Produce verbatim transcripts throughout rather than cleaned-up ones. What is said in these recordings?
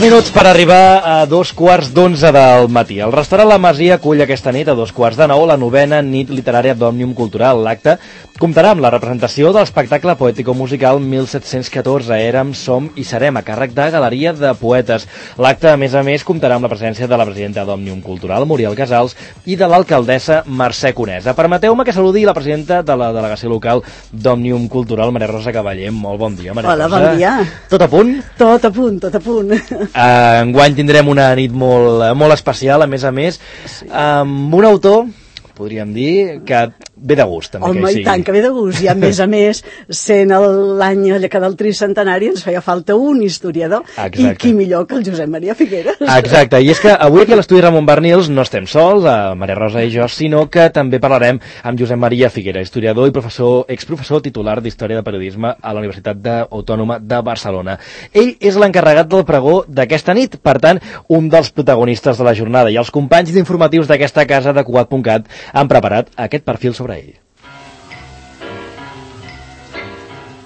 minuts per arribar a dos quarts d'onze del matí. El restaurant La Masia acull aquesta nit a dos quarts de nou la novena nit literària d'Òmnium Cultural. L'acte comptarà amb la representació de l'espectacle poètico-musical mil set-cents catorze, Érem, Som i Serem, a càrrec de Galeria de Poetes. L'acte, a més a més, comptarà amb la presència de la presidenta d'Òmnium Cultural, Muriel Casals, i de l'alcaldessa Mercè Conesa. Permeteu-me que saludi la presidenta de la delegació local d'Òmnium Cultural, Maria Rosa Cavaller. Molt bon dia, Maria Hola, Rosa. bon dia. Tot a punt? Tot a punt, tot a punt. Uh, enguany tindrem una nit molt, molt especial, a més a més, sí. amb un autor, podríem dir, que ve de gust, també. Home, que i tant, que ve de gust. I a més a més, sent l'any que del tricentenari, ens feia falta un historiador. Exacte. I qui millor que el Josep Maria Figueras. Exacte, i és que avui aquí a l'estudi Ramon Barnils no estem sols, a Maria Rosa i jo, sinó que també parlarem amb Josep Maria Figueras, historiador i professor, exprofessor titular d'Història de Periodisme a la Universitat Autònoma de Barcelona. Ell és l'encarregat del pregó d'aquesta nit, per tant, un dels protagonistes de la jornada, i els companys d'informatius d'aquesta casa de Cugat punt cat han preparat aquest perfil sobre ell.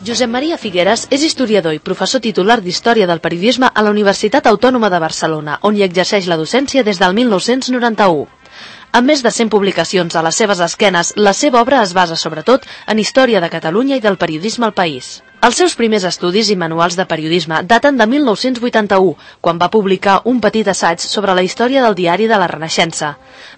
Josep Maria Figueras és historiador i professor titular d'Història del Periodisme a la Universitat Autònoma de Barcelona, on hi exerceix la docència des del mil nou-cents noranta-u. Amb més de cent publicacions a les seves esquenes, la seva obra es basa sobretot en història de Catalunya i del periodisme al país. Els seus primers estudis i manuals de periodisme daten de mil nou-cents vuitanta-u, quan va publicar un petit assaig sobre la història del diari de la Renaixença.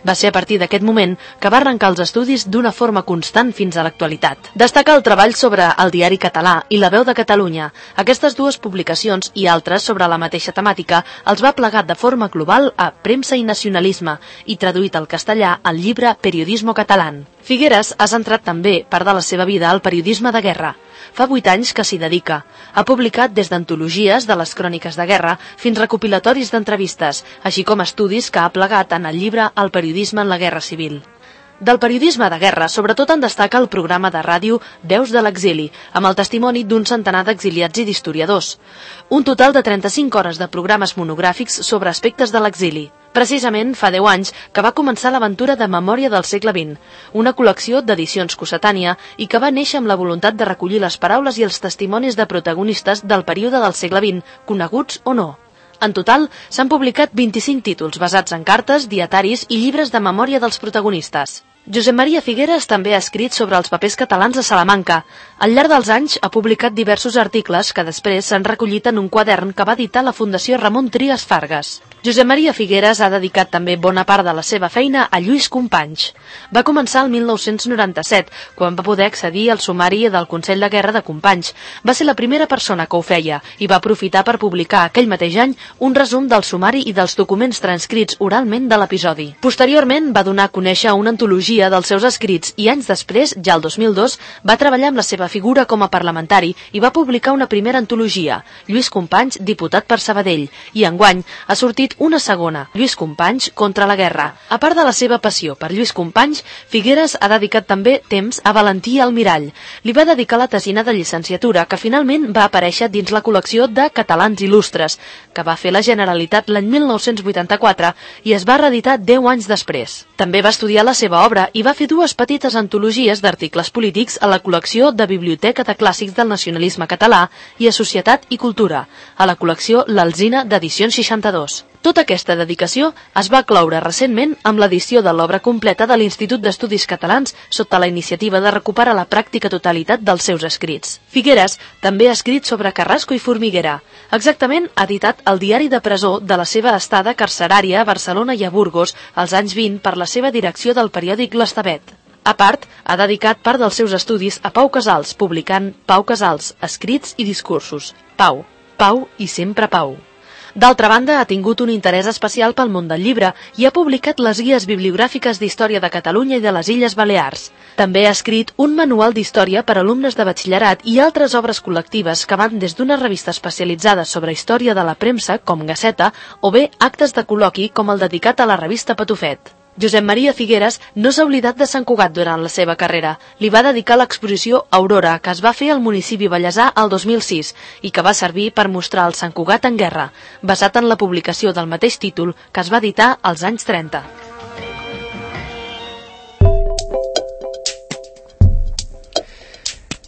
Va ser a partir d'aquest moment que va arrencar els estudis d'una forma constant fins a l'actualitat. Destaca el treball sobre el diari català i la veu de Catalunya. Aquestes dues publicacions i altres sobre la mateixa temàtica els va plegar de forma global a Premsa i Nacionalisme i traduït al castellà al llibre Periodismo Catalán. Figueras ha centrat també part de la seva vida al periodisme de guerra. Fa vuit anys que s'hi dedica. Ha publicat des d'antologies de les cròniques de guerra fins recopilatoris d'entrevistes, així com estudis que ha plegat en el llibre El periodisme en la guerra civil. Del periodisme de guerra, sobretot en destaca el programa de ràdio Veus de l'exili, amb el testimoni d'un centenar d'exiliats i d'historiadors. Un total de trenta-cinc hores de programes monogràfics sobre aspectes de l'exili. Precisament fa deu anys que va començar l'aventura de Memòria del segle vint, una col·lecció d'edicions Cossetània i que va néixer amb la voluntat de recollir les paraules i els testimonis de protagonistes del període del segle vint, coneguts o no. En total, s'han publicat vint-i-cinc títols basats en cartes, dietaris i llibres de memòria dels protagonistes. Josep Maria Figueras també ha escrit sobre els papers catalans a Salamanca. Al llarg dels anys ha publicat diversos articles que després s'han recollit en un quadern que va editar la Fundació Ramon Trias Fargas. Josep Maria Figueras ha dedicat també bona part de la seva feina a Lluís Companys. Va començar el mil nou-cents noranta-set, quan va poder accedir al sumari del Consell de Guerra de Companys. Va ser la primera persona que ho feia i va aprofitar per publicar aquell mateix any un resum del sumari i dels documents transcrits oralment de l'episodi. Posteriorment va donar a conèixer una antologia dels seus escrits i anys després, ja el dos mil dos, va treballar amb la seva figura com a parlamentari i va publicar una primera antologia, Lluís Companys, diputat per Sabadell, i enguany ha sortit una segona, Lluís Companys contra la guerra. A part de la seva passió per Lluís Companys, Figueras ha dedicat també temps a Valentí Almirall. Li va dedicar la tesina de llicenciatura que finalment va aparèixer dins la col·lecció de Catalans Il·lustres, que va fer la Generalitat l'any mil nou-cents vuitanta-quatre i es va reeditar deu anys després. També va estudiar la seva obra i va fer dues petites antologies d'articles polítics a la col·lecció de Biblioteca de Clàssics del Nacionalisme Català i a Societat i Cultura, a la col·lecció L'Alzina d'Edicions seixanta-dos. Tota aquesta dedicació es va cloure recentment amb l'edició de l'obra completa de l'Institut d'Estudis Catalans sota la iniciativa de recuperar la pràctica totalitat dels seus escrits. Figueras també ha escrit sobre Carrasco i Formiguera. Exactament ha editat el diari de presó de la seva estada carcerària a Barcelona i a Burgos als anys vint per la seva direcció del periòdic L'Estavet. A part, ha dedicat part dels seus estudis a Pau Casals, publicant Pau Casals, escrits i discursos. Pau, Pau i sempre Pau. D'altra banda, ha tingut un interès especial pel món del llibre i ha publicat les guies bibliogràfiques d'història de Catalunya i de les Illes Balears. També ha escrit un manual d'història per a alumnes de batxillerat i altres obres col·lectives que van des d'una revista especialitzada sobre història de la premsa, com Gaceta, o bé actes de col·loqui com el dedicat a la revista Patufet. Josep Maria Figueras no s'ha oblidat de Sant Cugat durant la seva carrera. Li va dedicar l'exposició Aurora, que es va fer al municipi ballesà el dos mil sis i que va servir per mostrar el Sant Cugat en guerra, basat en la publicació del mateix títol que es va editar als anys trenta.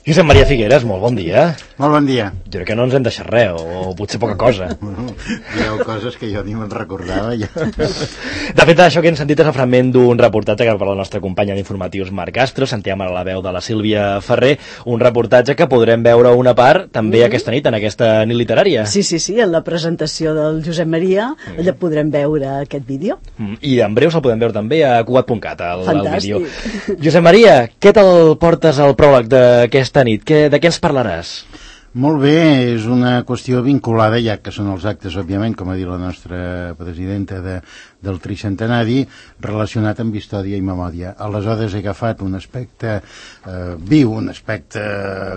Josep Maria Figueras, molt bon dia. Molt bon dia. Jo crec que no ens hem deixat res, o potser poca cosa. Bueno, hi ha coses que jo ni me'n recordava. Ja. De fet, això que hem sentit és el fragment d'un reportatge que per la nostra companya d'informatius Marc Castro, sentíem ara la veu de la Sílvia Ferrer, un reportatge que podrem veure una part també mm-hmm. aquesta nit, en aquesta nit literària. Sí, sí, sí, en la presentació del Josep Maria, mm. allà podrem veure aquest vídeo. Mm. I en breu se'l podem veure també a cugat punt cat, el, el vídeo. Fantàstic. Josep Maria, què te'l portes al pròleg d'aquesta nit? Que, de què ens parlaràs? Molt bé, és una qüestió vinculada, ja que són els actes, òbviament, com ha dit la nostra presidenta de, del tricentenari, relacionat amb història i memòria. Aleshores he agafat un aspecte eh, viu, un aspecte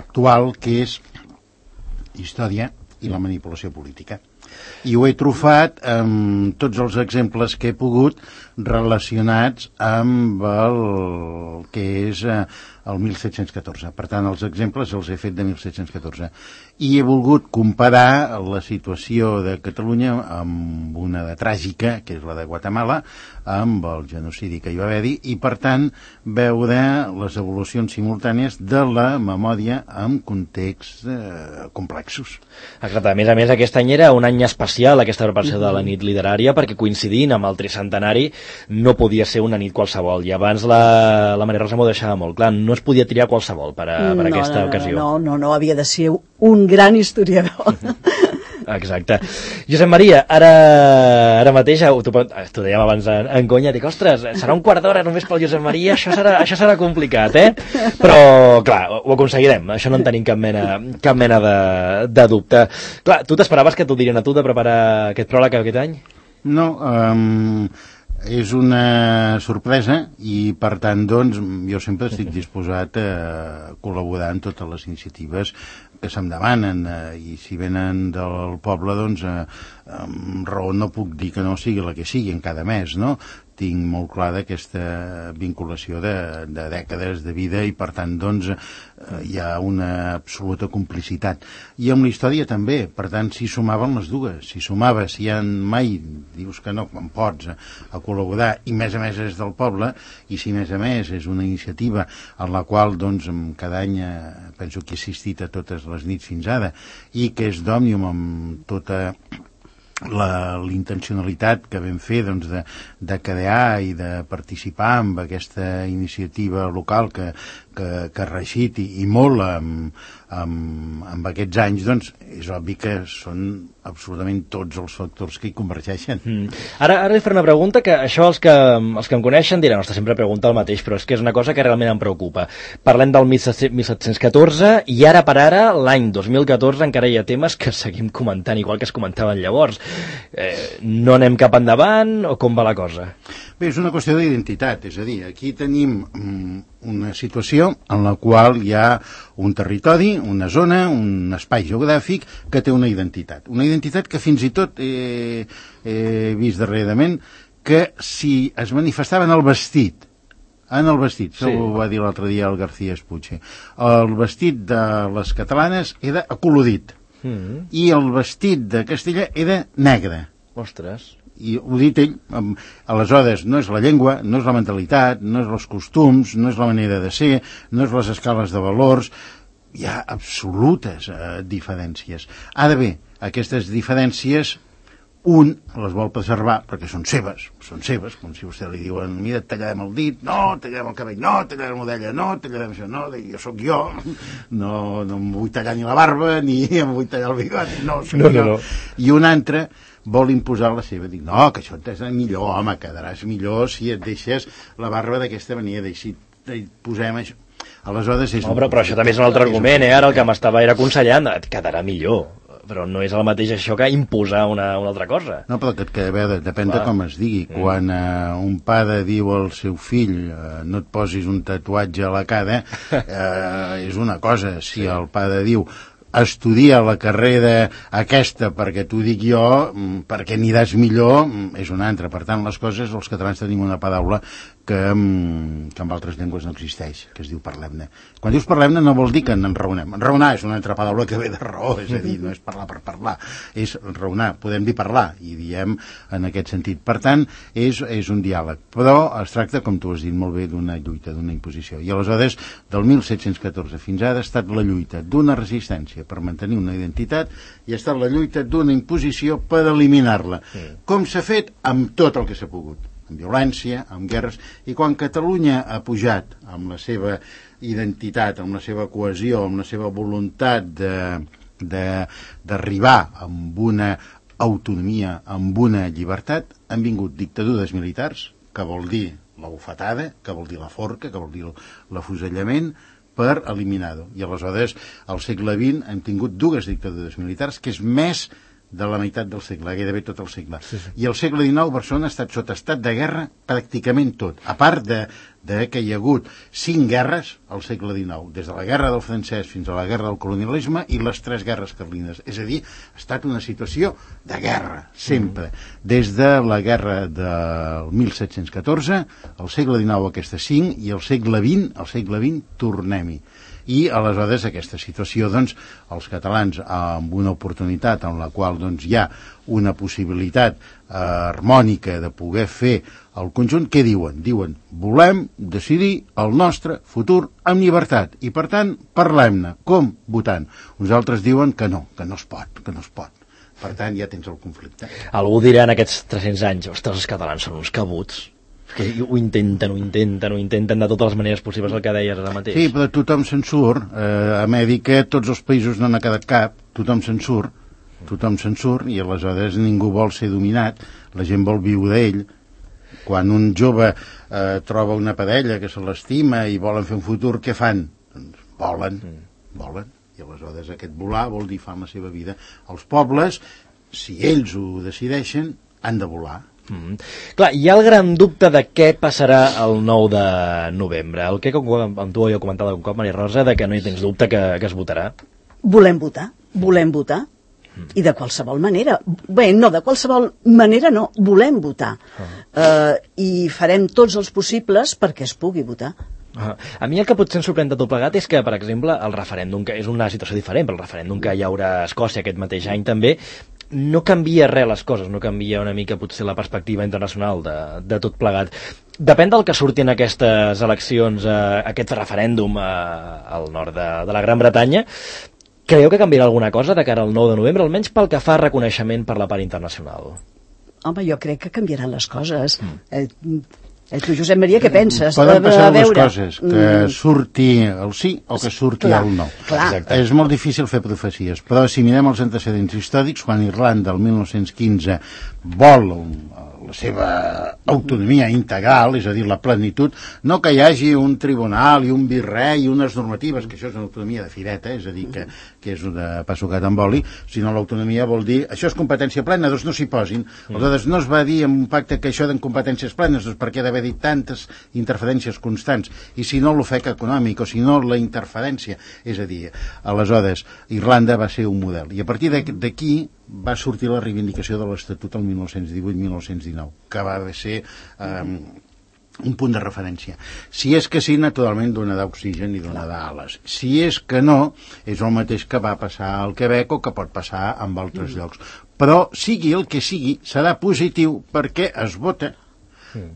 actual, que és història i la manipulació política. I ho he trufat amb tots els exemples que he pogut relacionats amb el que és eh, el mil set-cents catorze. Per tant, els exemples els he fet de mil set-cents catorze. I he volgut comparar la situació de Catalunya amb una de tràgica, que és la de Guatemala, amb el genocidi que hi va haver-hi, i per tant veure les evolucions simultànies de la memòria en contexts eh, complexos. Exacte. A més a més, aquest any era un any especial, aquesta preparació de la nit literària, perquè coincidint amb el tricentenari no podia ser una nit qualsevol. I abans la, la Maria Rosa m'ho deixava molt clar, no es podia triar qualsevol per, a, per no, aquesta no, ocasió. No, no, no, havia de ser un gran historiador. Exacte. Josep Maria, ara, ara mateix, t'ho dèiem abans en, en conya, dic, ostres, serà un quart d'hora només pel Josep Maria, això serà, això serà complicat, eh? Però, clar, ho aconseguirem, això no en tenim cap mena, cap mena de, de dubte. Clar, tu t'esperaves que t'ho dirien a tu de preparar aquest pròleg aquest any? No, um, és una sorpresa i, per tant, doncs, jo sempre estic disposat a col·laborar en totes les iniciatives que se'm demanen, eh, i si venen del poble, doncs, eh, amb raó no puc dir que no sigui la que sigui en cada mes, no? Tinc molt clar d'aquesta vinculació de, de dècades de vida i, per tant, doncs, eh, hi ha una absoluta complicitat. I amb la història també, per tant, s'hi sumaven les dues. Si sumaves, si ja mai dius que no, quan pots, a, a col·laborar, i més a més és del poble, i si més a més és una iniciativa en la qual, doncs, cada any eh, penso que he assistit a totes les nits fins ara, i que és d'Òmnium amb tota la l'intencionalitat que vam fer, doncs, de, de crear i de participar en aquesta iniciativa local que, que, que ha reeixit i, i molt amb, amb, amb aquests anys, doncs és obvi que són absolutament tots els factors que hi convergeixen. Mm. Ara, ara li faré una pregunta que això els que, els que em coneixen diran, ostres, sempre pregunta el mateix, però és que és una cosa que realment em preocupa. Parlem del mil set-cents catorze i ara per ara, l'any dos mil catorze, encara hi ha temes que seguim comentant, igual que es comentaven llavors. Eh, no anem cap endavant o com va la cosa? Bé, és una qüestió d'identitat, és a dir, aquí tenim mm, una situació en la qual hi ha un territori, una zona, un espai geogràfic que té una identitat. Una identitat que fins i tot he, he vist darrerament que si es manifestava en el vestit, en el vestit, això sí. Ho va dir l'altre dia el García Espuche, el vestit de les catalanes era acolorit, mm. i el vestit de Castella era negre. Ostres. I ho dit ell, aleshores no és la llengua, no és la mentalitat, no és els costums, no és la manera de ser, no és les escales de valors, hi ha absolutes eh, diferències. Ara bé, aquestes diferències un les vol preservar perquè són seves, són seves, com si vostè li diuen, mira, et tallarem el dit, no, tallarem el cabell, no, tallarem l'orella, no, tallarem això, no, jo sóc jo, no, no em vull tallar ni la barba, ni em vull tallar el bigot, no, sóc no, jo. No, no. I un altre vol imposar la seva, dic, no, que això et millor, home, quedaràs millor si et deixes la barba d'aquesta manera, i si posem això. Aleshores és... No, però, però això també és un altre argument, eh? Ara el que m'estava era aconsellant, et quedarà millor, però no és el mateix això que imposar una, una altra cosa. No, però que, que a veure, depèn Clar. de com es digui. Mm. Quan eh, un pare diu al seu fill eh, no et posis un tatuatge a la cara, eh, és una cosa. Si sí. el pare diu estudia la carrera aquesta perquè t'ho dic jo, perquè aniràs millor, és una altra. Per tant, les coses, els catalans tenim una paraula que, que en altres llengües no existeix, que es diu parlem-ne. Quan dius parlem-ne no vol dir que en enraonem. Enraonar és una altra paraula que ve de raó, és a dir, no és parlar per parlar, és enraonar. Podem dir parlar, i diem en aquest sentit. Per tant, és, és un diàleg. Però es tracta, com tu has dit molt bé, d'una lluita, d'una imposició. I aleshores, del mil set-cents catorze fins ara, ha estat la lluita d'una resistència per mantenir una identitat i ha estat la lluita d'una imposició per eliminar-la. Sí. Com s'ha fet? Amb tot el que s'ha pogut. Amb violència, amb guerres, i quan Catalunya ha pujat amb la seva identitat, amb la seva cohesió, amb la seva voluntat d'arribar amb una autonomia, amb una llibertat, han vingut dictadures militars, que vol dir la bufetada, que vol dir la forca, que vol dir l'afusellament, per eliminar-ho. I aleshores, al segle vint, hem tingut dues dictadures militars, que és més de la meitat del segle, gairebé tot el segle. Sí, sí. I al segle dinou Barcelona ha estat sota estat de guerra pràcticament tot, a part de, de que hi ha hagut cinc guerres al segle dinou, des de la guerra del francès fins a la guerra del colonialisme i les tres guerres carlines. És a dir, ha estat una situació de guerra, sempre. Mm. Des de la guerra del mil set-cents catorze, al segle dinou aquestes cinc, i al segle vint, al segle vint, tornem-hi. I aleshores aquesta situació, doncs, els catalans amb una oportunitat en la qual doncs, hi ha una possibilitat eh, harmònica de poder fer el conjunt, què diuen? Diuen, volem decidir el nostre futur amb llibertat i per tant parlem-ne, com? Votant. Uns altres diuen que no, que no es pot, que no es pot. Per tant ja tens el conflicte. Algú dirà en aquests tres-cents anys, ostres, els catalans són uns cabuts, que ho intenten, ho intenten, ho intenten de totes les maneres possibles, el que deies ara mateix. Sí, però tothom se'n surt. Eh, a Amèrica tots els països no n'ha quedat cap, tothom se'n surt, tothom se'n surt, i aleshores ningú vol ser dominat, la gent vol viure d'ell. Quan un jove eh, troba una parella que se l'estima i volen fer un futur, què fan? Doncs volen, volen, i aleshores aquest volar vol dir fan la seva vida. Els pobles, si ells ho decideixen, han de volar. Mm. Clar, hi ha el gran dubte de què passarà el nou de novembre. El que com, com tu ho heu comentat un cop, Maria Rosa, de que no hi tens dubte que, que es votarà. Volem votar, volem votar. Mm. I de qualsevol manera. Bé, no, de qualsevol manera no, volem votar. Uh -huh. uh, I farem tots els possibles perquè es pugui votar. Uh, a mi el que potser ens sorprèn de tot plegat és que, per exemple, el referèndum, que és una situació diferent, però el referèndum que hi haurà a Escòcia aquest mateix any també, no canvia res les coses, no canvia una mica potser la perspectiva internacional de, de tot plegat. Depèn del que surti en aquestes eleccions, eh, aquest referèndum eh, al nord de, de la Gran Bretanya. Creieu que canviarà alguna cosa de cara al nou de novembre, almenys pel que fa a reconeixement per la part internacional? Home, jo crec que canviaran les coses. Mm. Eh, Eh, tu, Josep Maria, què penses? Poden passar dues coses, que surti el sí o que surti clar, el no. Clar. És molt difícil fer profecies, però si mirem els antecedents històrics, quan Irlanda, el mil nou-cents quinze, vol la seva autonomia integral, és a dir, la plenitud, no que hi hagi un tribunal i un virrei i unes normatives, que això és una autonomia de fireta, és a dir, que, que és una passucat amb oli, sinó l'autonomia vol dir, això és competència plena, doncs no s'hi posin. Aleshores, no es va dir en un pacte que això d'en competències plenes, doncs per què d'haver dit tantes interferències constants, i si no l'ofec econòmic, o si no la interferència, és a dir, aleshores, Irlanda va ser un model, i a partir d'aquí va sortir la reivindicació de l'Estatut el mil nou-cents divuit mil nou-cents dinou, que va ser eh, un punt de referència. Si és que sí, naturalment donarà oxigen i donarà ales. Si és que no, és el mateix que va passar al Quebec o que pot passar en altres mm. llocs. Però sigui el que sigui, serà positiu perquè es vota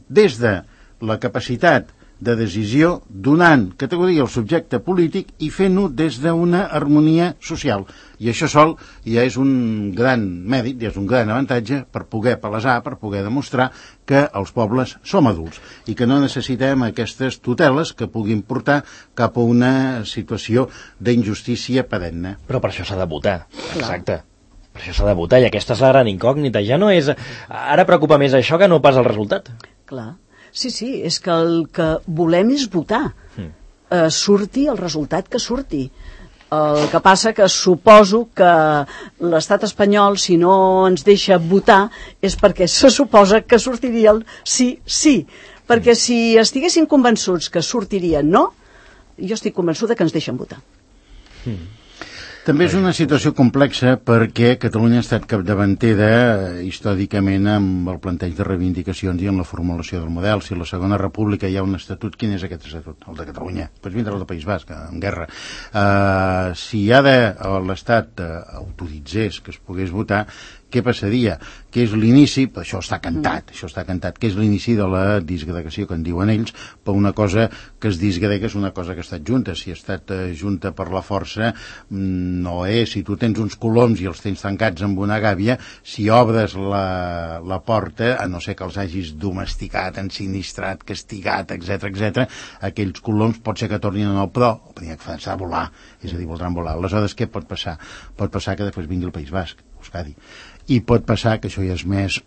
des de la capacitat de decisió, donant categoria al subjecte polític i fent-ho des d'una harmonia social. I això sol ja és un gran mèrit, ja és un gran avantatge per poder palesar, per poder demostrar que els pobles som adults i que no necessitem aquestes tuteles que puguin portar cap a una situació d'injustícia perenne. Però per això s'ha de votar, exacte. Per això s'ha de votar, i aquesta és la gran incògnita. Ja no és... Ara preocupa més això que no pas el resultat. Clar. Sí, sí, és que el que volem és votar. Mm. Eh, surti el resultat que surti. El que passa que suposo que l'estat espanyol, si no ens deixa votar, és perquè se suposa que sortiria el sí, sí. Perquè mm. si estiguessin convençuts que sortiria no, jo estic convençuda que ens deixen votar. Mm. També és una situació complexa perquè Catalunya ha estat capdavantera eh, històricament amb el planteig de reivindicacions i en la formulació del model. Si a la Segona República hi ha un estatut, quin és aquest estatut? El de Catalunya. Doncs vindrà el del País Basc, en guerra. Uh, si ha de l'Estat uh, autoritzés que es pogués votar, què passaria? Que és l'inici, això està cantat, mm. això està cantat, que és l'inici de la disgregació, que en diuen ells, per una cosa que es disgrega és una cosa que ha estat junta. Si ha estat uh, junta per la força, no és. Si tu tens uns coloms i els tens tancats amb una gàbia, si obres la, la porta, a no ser que els hagis domesticat, ensinistrat, castigat, etc etc, aquells coloms pot ser que tornin a nou, però primer que fan-se a volar, és a dir, voldran volar. Aleshores, què pot passar? Pot passar que després vingui el País Basc, Euskadi. I pot passar, que això ja és més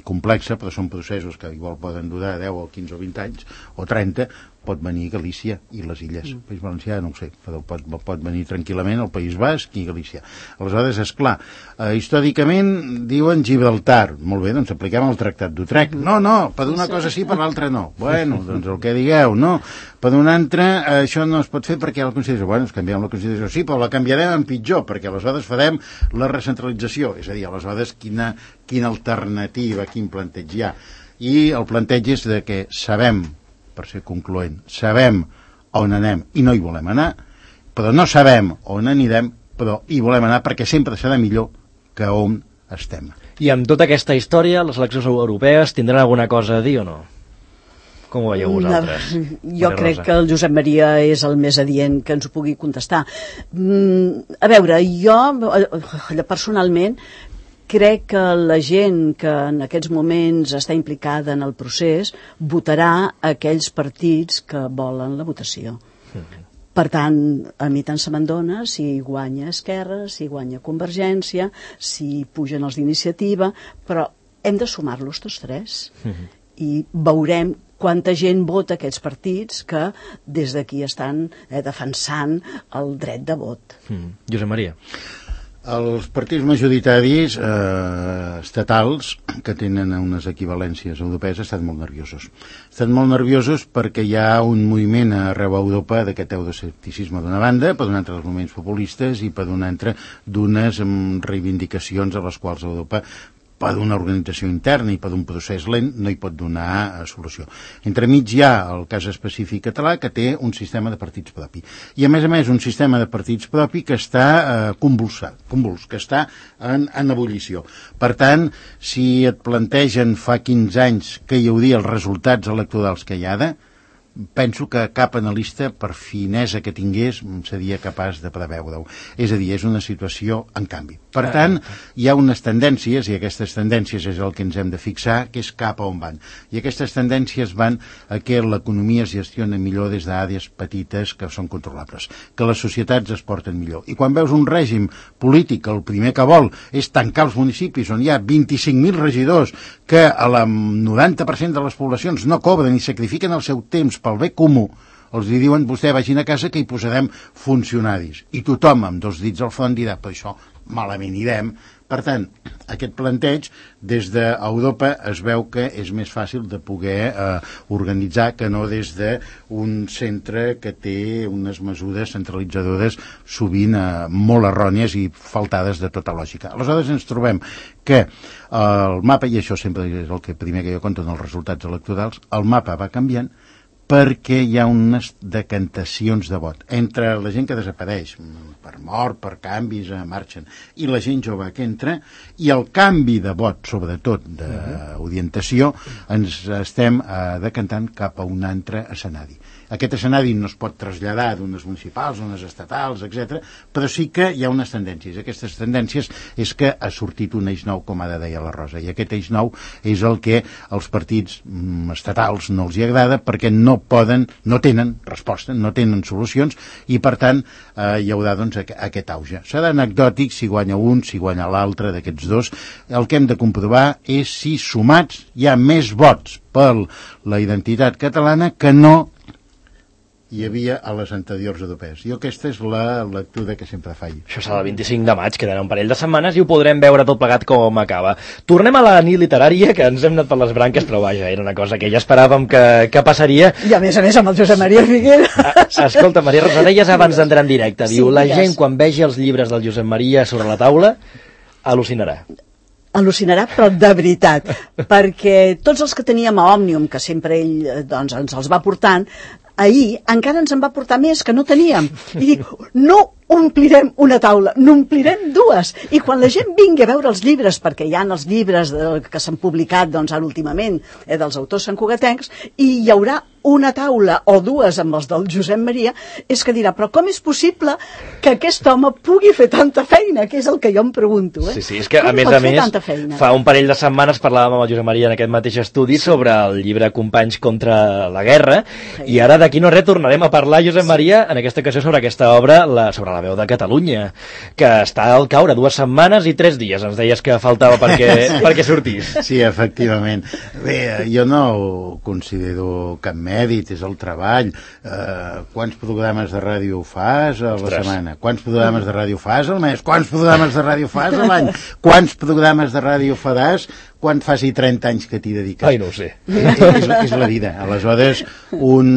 complexa, però són processos que igual poden durar deu o quinze o vint anys, o trenta, pot venir Galícia i les illes. El País Valencià, no ho sé, però pot, pot venir tranquil·lament el País Basc i Galícia. Aleshores, esclar, eh, històricament diuen Gibraltar. Molt bé, doncs apliquem el Tractat d'Utrecht. No, no, per una cosa sí, per l'altra no. Bueno, doncs el que digueu, no. Per una altra, eh, això no es pot fer perquè la Constitució... Bueno, ens canviem la Constitució, sí, però la canviarem en pitjor, perquè aleshores farem la recentralització. És a dir, aleshores, quina, quina alternativa, quin planteig hi ha. I el planteig és de que sabem, per ser concloent, sabem on anem i no hi volem anar, però no sabem on anirem, però hi volem anar perquè sempre serà millor que on estem. I amb tota aquesta història, les eleccions europees tindran alguna cosa a dir o no? Com ho veieu vosaltres? Jo crec que el Josep Maria és el més adient que ens ho pugui contestar. Mm, a veure, jo personalment crec que la gent que en aquests moments està implicada en el procés votarà aquells partits que volen la votació. Mm-hmm. Per tant, a mi tant se me'n dona si guanya Esquerra, si guanya Convergència, si pugen els d'Iniciativa, però hem de sumar-los tots tres. Mm-hmm. I veurem quanta gent vota aquests partits que des d'aquí estan eh, defensant el dret de vot. Mm. Josep Maria. Els partits majoritaris eh, estatals, que tenen unes equivalències europees, estan molt nerviosos. Estan molt nerviosos perquè hi ha un moviment arreu a Europa d'aquest euroescepticisme d'una banda, per una altra dels moviments populistes i per una altra d'unes reivindicacions a les quals Europa, per una organització interna i per un procés lent, no hi pot donar eh, solució. Entremig hi ha el cas específic català, que té un sistema de partits propi. I, a més a més, un sistema de partits propi que està eh, convulsat, convuls, que està en, en ebullició. Per tant, si et plantegen fa quinze anys que hi hauria els resultats electorals que hi ha, penso que cap analista, per finesa que tingués, seria capaç de preveure-ho. És a dir, és una situació en canvi. Per tant, hi ha unes tendències, i aquestes tendències és el que ens hem de fixar, que és cap a on van. I aquestes tendències van a que l'economia es gestiona millor des d'àrees petites que són controlables, que les societats es porten millor. I quan veus un règim polític, el primer que vol és tancar els municipis on hi ha vint-i-cinc mil regidors que a la noranta per cent de les poblacions no cobren i sacrifiquen el seu temps pel bé comú, els li diuen, vostè vagin a casa que hi posarem funcionaris. I tothom amb dos dits al front dirà, però això malament irem. Per tant, aquest planteig des d'Europa es veu que és més fàcil de poder eh, organitzar que no des d'un centre que té unes mesures centralitzadores sovint eh, molt errònies i faltades de tota lògica. Aleshores ens trobem que eh, el mapa, i això sempre és el que primer que jo conto en els resultats electorals, el mapa va canviant perquè hi ha unes decantacions de vot entre la gent que desapareix per mort, per canvis, eh, marxen, i la gent jove que entra, i el canvi de vot, sobretot d'orientació, ens estem eh, decantant cap a un altre escenari. Aquest escenari no es pot traslladar d'unes municipals, unes estatals, etcètera, però sí que hi ha unes tendències. Aquestes tendències és que ha sortit un eix nou, com ara deia la Rosa, i aquest eix nou és el que als partits mm, estatals no els hi agrada perquè no poden, no tenen resposta, no tenen solucions, i per tant eh, hi haurà doncs aquest auge. Serà anecdòtic si guanya un, si guanya l'altre d'aquests dos. El que hem de comprovar és si sumats hi ha més vots per la identitat catalana que no hi havia a les anteriors europees. Jo aquesta és la lectura que sempre faig. Això serà el vint-i-cinc de maig, quedarà un parell de setmanes i ho podrem veure tot plegat com acaba. Tornem a la nit literària, que ens hem anat per les branques, però vaja, era una cosa que ja esperàvem que, que passaria. I a més a més amb el Josep Maria Figueras. A, escolta, Maria Rosa, deies abans d'entrar en directe, diu, Sí, la digues. gent quan vegi els llibres del Josep Maria sobre la taula, al·lucinarà. Al·lucinarà, però de veritat, perquè tots els que teníem a Òmnium, que sempre ell eh, doncs, ens els va portant, ahir encara ens en va portar més que no teníem. I dic, no omplirem una taula, n'omplirem dues. I quan la gent vingui a veure els llibres, perquè hi ha els llibres de, que s'han publicat doncs, ara últimament eh, dels autors santcugatencs, i hi haurà una taula o dues amb els del Josep Maria, és que dirà, però com és possible que aquest home pugui fer tanta feina? Que és el que jo em pregunto. Eh? Sí, sí, és que com a més pot a fer més, tanta feina? fa un parell de setmanes parlàvem amb el Josep Maria en aquest mateix estudi sobre el llibre Companys contra la guerra, sí. I ara d'aquí no res tornarem a parlar, Josep Maria, en aquesta ocasió sobre aquesta obra, la, sobre la veu de Catalunya, que està al caure dues setmanes i tres dies, ens deies que faltava perquè, sí. perquè sortís. Sí, efectivament. Bé, jo no ho considero cap mèrit, és el treball. Eh, quants programes de ràdio fas a la Ostres. setmana? Quants programes de ràdio fas al mes? Quants programes de ràdio fas a l'any? Quants programes de ràdio faràs quan faci trenta anys que t'hi dediques? Ai, no ho sé. És, és, és la vida. Aleshores, un,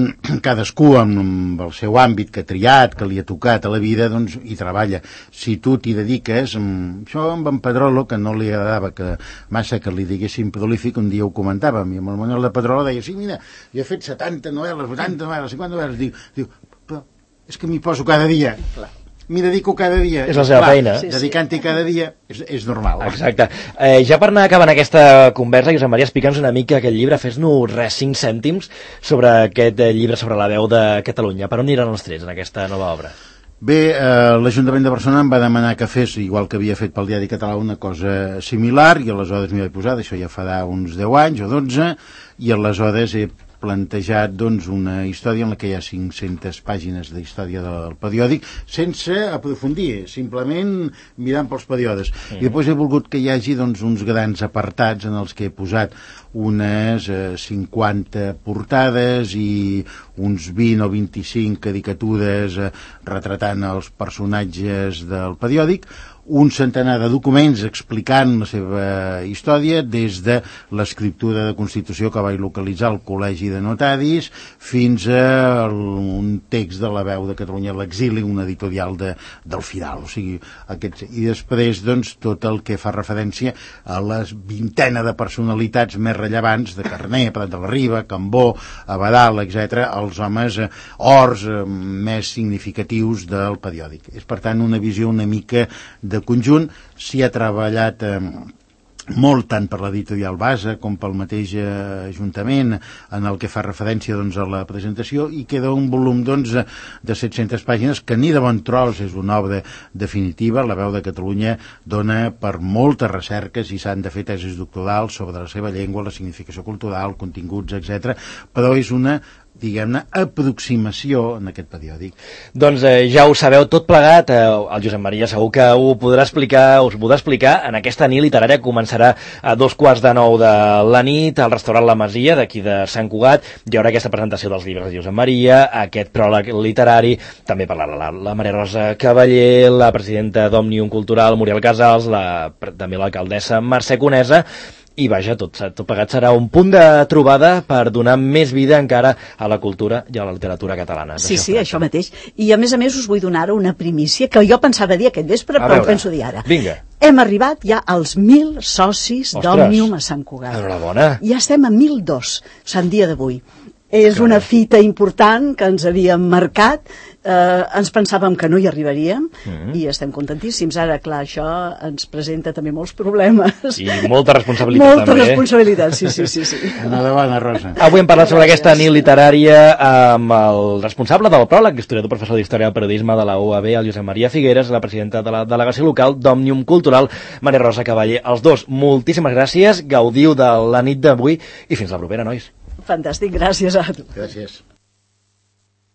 cadascú amb el seu àmbit que ha triat, que li ha tocat a la vida, doncs hi treballa. Si tu t'hi dediques, això amb en Pedrolo, que no li agradava que massa que li diguessin prolífic, un dia ho comentàvem, i amb el Manuel de Pedrolo deia, sí, mira, jo he fet setanta novel·les, vuitanta novel·les, cinquanta novel·les, diu, diu, però és que m'hi poso cada dia. Clar. M'hi dedico cada dia. És la seva Clar, feina. Sí, sí. Dedicant-hi cada dia és, és normal. Exacte. Eh, ja per anar acabant aquesta conversa, Josep Maria, explica'ns una mica aquest llibre, fes-nos res, cinc cèntims sobre aquest eh, llibre sobre la veu de Catalunya. Per on aniran els trets en aquesta nova obra? Bé, eh, l'Ajuntament de Barcelona em va demanar que fes, igual que havia fet pel Diari Català, una cosa similar, i aleshores m'hi vaig posar, això ja farà uns deu anys o dotze, i aleshores he plantejat doncs, una història en la que hi ha cinc-centes pàgines de història del periòdic sense aprofundir, simplement mirant pels períodes. Mm. I després he volgut que hi hagi doncs, uns grans apartats en els que he posat unes eh, cinquanta portades i uns vint o vint-i-cinc caricatures eh, retratant els personatges del periòdic, un centenar de documents explicant la seva història, des de l'escriptura de Constitució que vaig localitzar al Col·legi de Notaris fins a un text de la Veu de Catalunya a l'exili, un editorial de, del Fidal. O sigui, aquests, i després doncs, tot el que fa referència a les vintena de personalitats més rellevants de Carner, Prat de la Riba, Cambó, Abadal, etcètera, els homes eh, ors eh, més significatius del periòdic. És, per tant, una visió una mica de conjunt. S'hi ha treballat eh, molt tant per l'editorial Basa com pel mateix eh, Ajuntament en el que fa referència doncs, a la presentació, i queda un volum doncs, de set-centes pàgines que ni de bon tros és una obra definitiva. La Veu de Catalunya dona per moltes recerques i s'han de fer tesis doctorals sobre la seva llengua, la significació cultural, continguts, etcètera, però és una diguem-ne, aproximació en aquest periòdic. Doncs eh, ja ho sabeu tot plegat, eh, el Josep Maria segur que ho podrà explicar, us ho podrà explicar en aquesta nit literària que començarà a dos quarts de nou de la nit al restaurant La Masia d'aquí de Sant Cugat. Hi haurà aquesta presentació dels llibres de Josep Maria, aquest pròleg literari, també parlarà la, la Maria Rosa Cavaller, la presidenta d'Òmnium Cultural, Muriel Casals, la, també l'alcaldessa Mercè Conesa. I vaja, tot, tot plegat serà un punt de trobada per donar més vida encara a la cultura i a la literatura catalana. Sí, sí, això mateix. I a més a més us vull donar una primícia que jo pensava dir aquest vespre, però ho penso dir ara. Vinga. Hem arribat ja als mil socis d'Òmnium a Sant Cugat. Enhorabona. Ja estem a mil dos, Sant dia d'avui. És una fita important que ens havíem marcat, eh, ens pensàvem que no hi arribaríem, mm-hmm. i estem contentíssims. Ara, clar, això ens presenta també molts problemes. I molta responsabilitat, molta també. Molta responsabilitat, sí, sí, sí. sí. Enhorabona, Rosa. Avui hem parlat sobre aquesta nit literària amb el responsable del pròleg, historiador professor d'Història del Periodisme de la U A B, el Josep Maria Figueras, la presidenta de la delegació local d'Òmnium Cultural, Maria Rosa Cavaller. Els dos, moltíssimes gràcies, gaudiu de la nit d'avui i fins la propera, nois. Fantàstic, gràcies a tu. Gràcies.